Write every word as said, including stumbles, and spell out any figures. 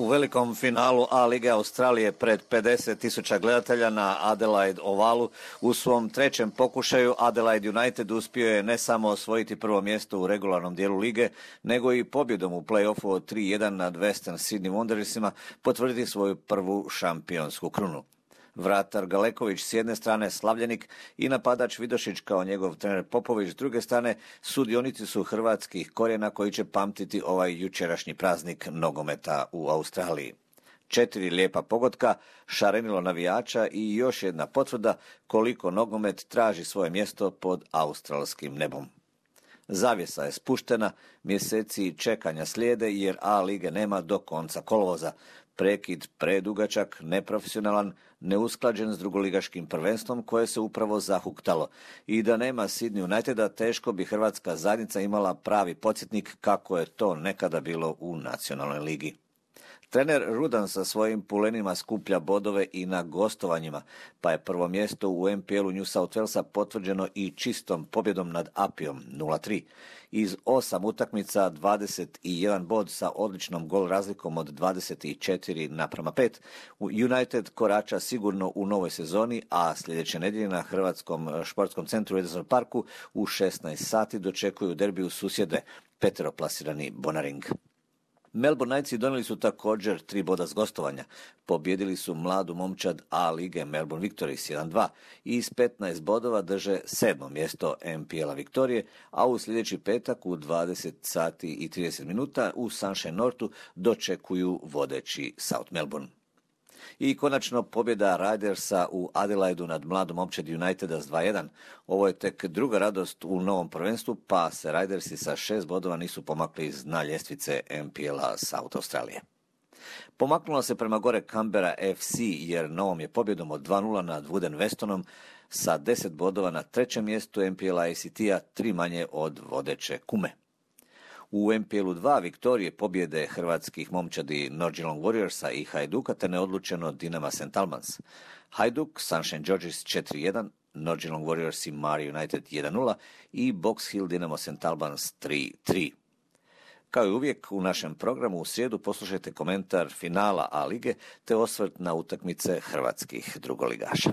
velikom finalu A lige Australije pred pedeset tisuća gledatelja na Adelaide ovalu u svom trećem pokušaju Adelaide United uspio je ne samo osvojiti prvo mjesto u regularnom dijelu lige, nego i pobjedom u play-offu od tri jedan nad Western Sydney Wanderersima potvrditi svoju prvu šampionsku krunu. Vratar Galeković s jedne strane slavljenik i napadač Vidošić kao njegov trener Popović s druge strane sudionici su hrvatskih korijena koji će pamtiti ovaj jučerašnji praznik nogometa u Australiji. Četiri lijepa pogotka, šarenilo navijača i još jedna potvrda koliko nogomet traži svoje mjesto pod australskim nebom. Zavjesa je spuštena, mjeseci čekanja slijede jer A lige nema do konca kolovoza. Prekid predugačak, neprofesionalan, neusklađen s drugoligaškim prvenstvom koje se upravo zahuktalo. I da nema Sydney Uniteda, teško bi hrvatska zajednica imala pravi podsjetnik kako je to nekada bilo u nacionalnoj ligi. Trener Rudan sa svojim pulenima skuplja bodove i na gostovanjima, pa je prvo mjesto u N P L-u New South Walesa potvrđeno i čistom pobjedom nad Apijom nula tri. Iz osam utakmica dvadeset jedan bod sa odličnom gol razlikom od dvadeset četiri naprama pet. United korača sigurno u novoj sezoni, a sljedeće nedjelje na Hrvatskom športskom centru u Ederson Parku u šesnaest sati dočekuju derbiju susjede, peteroplasirani Bonaring. Melbourne Knightsi donijeli su također tri boda s gostovanja. Pobjedili su mladu momčad A lige Melbourne Victories jedan dva i s petnaest bodova drže sedmo mjesto N P L-a Viktorije, a u sljedeći petak u dvadeset sati i trideset minuta u Sunshine Northu dočekuju vodeći South Melbourne. I konačno pobjeda Ridersa u Adelaidu nad mladom momčadi Uniteda s dva jedan. Ovo je tek druga radost u novom prvenstvu, pa se Ridersi sa šest bodova nisu pomakli iz dna ljestvice N P L-a South Australije. Pomaknula se prema gore Canberra F C jer novom je pobjedom od dva nula nad Wooden Westonom sa deset bodova na trećem mjestu N P L-a A C T-a, tri manje od vodeće Kume. U N P L-u dva Viktorije pobjede hrvatskih momčadi North Geelong Warriorsa i Hajduka te neodlučeno Dinama Saint Albans. Hajduk, Sunshine Georges četiri jedan, North Geelong Warriors i Mari United jedan nula i Box Hill Dinamo Saint Albans tri tri. Kao i uvijek u našem programu u srijedu poslušajte komentar finala A lige te osvrt na utakmice hrvatskih drugoligaša.